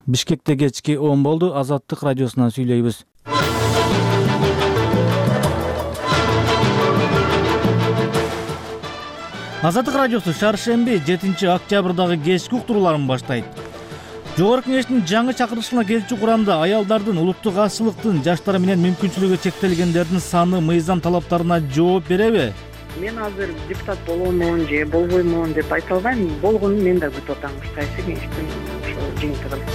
Бишкекте кечки 10 болду. Азаттык радиосунан сүйлөйбүз. Азаттык радиосу шаршемби 7-октябрдагы кечки уктурууларын баштайт. Жогорку Кеңештин жаңы чакырылышына келчү курамда аялдардын, улуттук азчылыктын, жаштар менен мүмкүнчүлүгү чектелгендердин саны мыйзам талаптарына жооп береби? Мен азыр депутат боломун же болбоймун деп айта албайм. Болгонун мен да күтүп атам. Кайсы кеңештин ошо жыйынтыгын.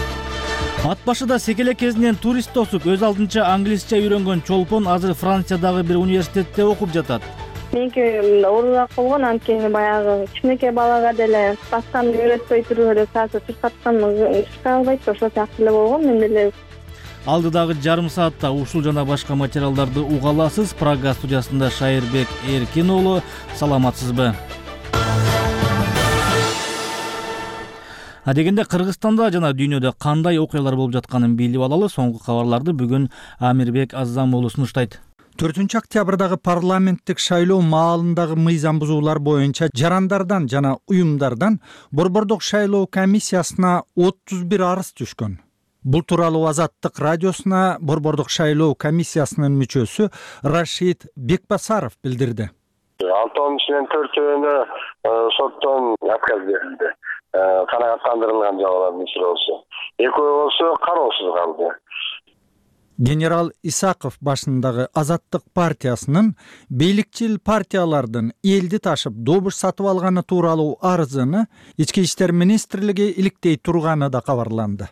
Ат башыда секелек кезинен турист тосуп, өз алдынча англисче үйрөнгөн чолпон азыр Франциядагы бир университетте окуп жатат. Меники оорураак болгон, анткени баягы кичинекей балага деле басканды үйрөтпөй туруп эле саатта чуркаткан чуркай албайт, ошол сыяктуу эле болгон. Мен деле Алдыдагы жарым саатта ушул жана башка материалдарды уга аласыз. Прага студиясында Шайырбек Эркин уулу. Саламатсызбы? Адегенде Кыргызстанда жана дүйнөдө кандай окуялар болуп жатканын билип алалы. Соңку кабарларды бүгүн Амирбек Аззам уулу сунуштайт. 4-октябрдагы парламенттик шайлоо маалындагы мыйзам бузуулар боюнча жарандардан жана уюмдардан Борбордук шайлоо комиссиясына 31 арыз түшкөн. Бул тууралуу Азаттык радиосуна Борбордук шайлоо комиссиясынын мүчөсү Рашид Бекбасаров билдирди. 6 ичинен 4-өөнө соттон отказ берилди. Канааттандырылган жабалардын ичинде болсо. 2 болсо кароосуз калды. Генерал Исаков башындагы Азаттык партиясынын бийликчил партиялардын элди ташып добуш сатып алганы тууралуу арызыны Ички иштер министрлиги иликтей турганы да кабарланды.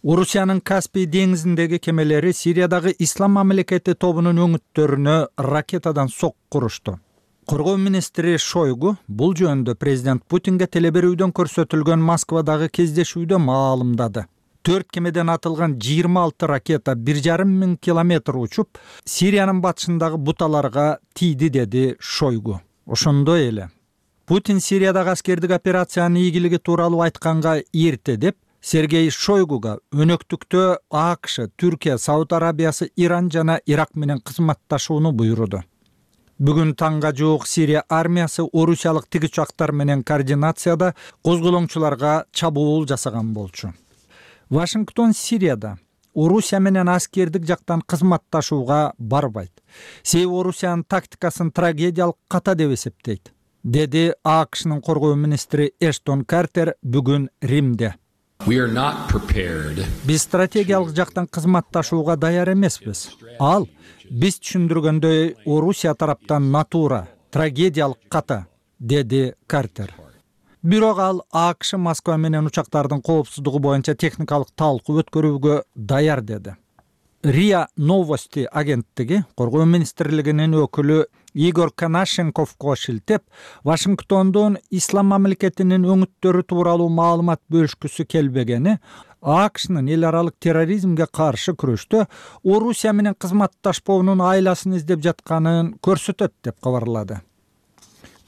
Орусиянын Каспий деңизиндеги кемелери Сириядагы Ислам мамлекети тобунун өңүттөрүнө ракетадан сокку урушту. Коргоо министри Шойгу бул жөнүндө президент Путинге телеберүүдөн көрсөтүлгөн Москвадагы кездешүүдө маалымдады. 4 кемеден атылган 26 ракета 1,5 миң километр учуп, Сириянын батышындагы буталарга тийди, деди Шойгу. Ошондой эле Путин Сириядагы аскердик операциянын ийгилиги тууралуу айтканга эрте деп Сергей Шойгуга өнөктүктө АКШ, Түркия, Сауд Арабиясы, Иран жана Ирак менен кызматташууну буйруду. Бүгүн таңга жуук Сирия армиясы орусиялык тигичактар менен координацияда козголоңчуларга чабуул жасаган болчу. Вашингтон Сирияда Орусия менен аскердик жактан кызматташууга барбайт. Себеби Орусиянын тактикасын трагедиялык ката деп эсептейт, деди АКШнын коргоо министри Эштон Картер бүгүн Римде. Биз стратегиялык жактан кызматташууга даяр эмеспиз. Ал биз түшүндүргөндөй Орусия тараптан натура, трагедиялык ката, деди Картер. Бирок ал АКШ Москва менен учактардын коопсуздугу боюнча техникалык талкуу өткөрүүгө даяр деди. РИА Новости агенттиги коргоо министрлигинин өкүлү Игорь Конашенковго шилтеп, Вашингтондун Ислам мамлекетинин өңүттөрү тууралуу маалымат бөлүшкүсү келбегени АКШнын эл аралык терроризмге каршы күрөштө Орусия менен кызматташпоонун айласын издеп жатканын көрсөтөт деп кабарлады.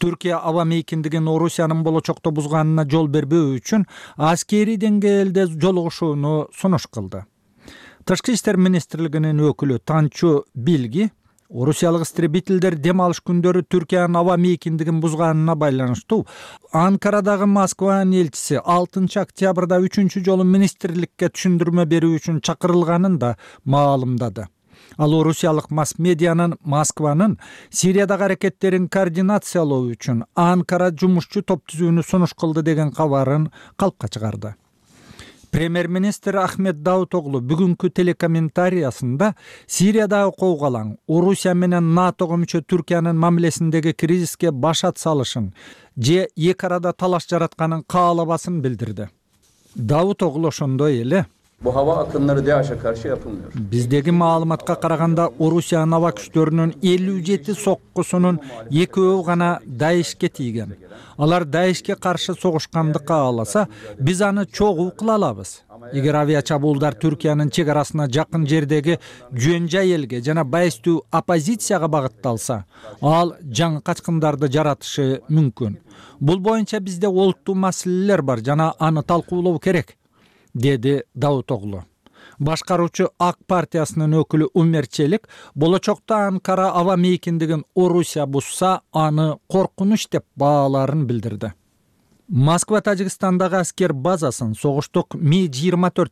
Түркия аба мейкиндигин Орусиянын болочокто бузганына жол бербөө үчүн аскерий деңгээлде жолугушууну сунуш кылды. Тышкы иштер министрлигинин өкүлү Танчу Билги орусиялык истребительдер дем алыш күндөрү Түркиянын аба мейкиндигин бузганына байланыштуу Анкарадагы Москванын элчиси 6 октябрда 3 жолу министрликке түшүндүрмө берүү үчүн чакырылганын да маалымдады. Ал орусиялык масс-медианын Москванын Сириядагы аракеттерин координациялоо үчүн Анкара жумушчу топ түзүүнү сунуш кылды деген кабарын калпка чыгарды. Премьер-министр Ахмет Давутоглу бүгүнкү телекомментариясында Сириядагы коогалаң Орусия менен НАТОго мүчө Түркиянын мамилесиндеги кризиске башат салышын же эки арада талаш жаратканын каалабасын билдирди. Давутоглу ошондой эле Bu hava akımları DAEŞ'e karşı yapılmıyor. Биздеги маалыматка караганда Орусиянын аба күчтөрүнүн 57 соккусунун 2-өө гана ДАЭШке тийген. Алар ДАЭШке каршы согушканды кааласа, биз аны чогуу кыла алабыз. Эгер авиа чабуулдар Түркиянын чек арасына жакын жердеги жөн-жай элге жана байыстуу оппозицияга багытталса, ал жаңы качкындарды жаратышы мүмкүн. Бул боюнча бизде олуттуу маселелер бар жана аны талкуулоо керек, деди Давутоглу. Башкаруучу ак партиясынын өкүлү Умер Челик болочокто Анкара аба мейкиндигин Орусия бузса, аны коркунуч деп бааларын билдирди. Москва Тажикстандагы аскер базасын согуштук Ми-24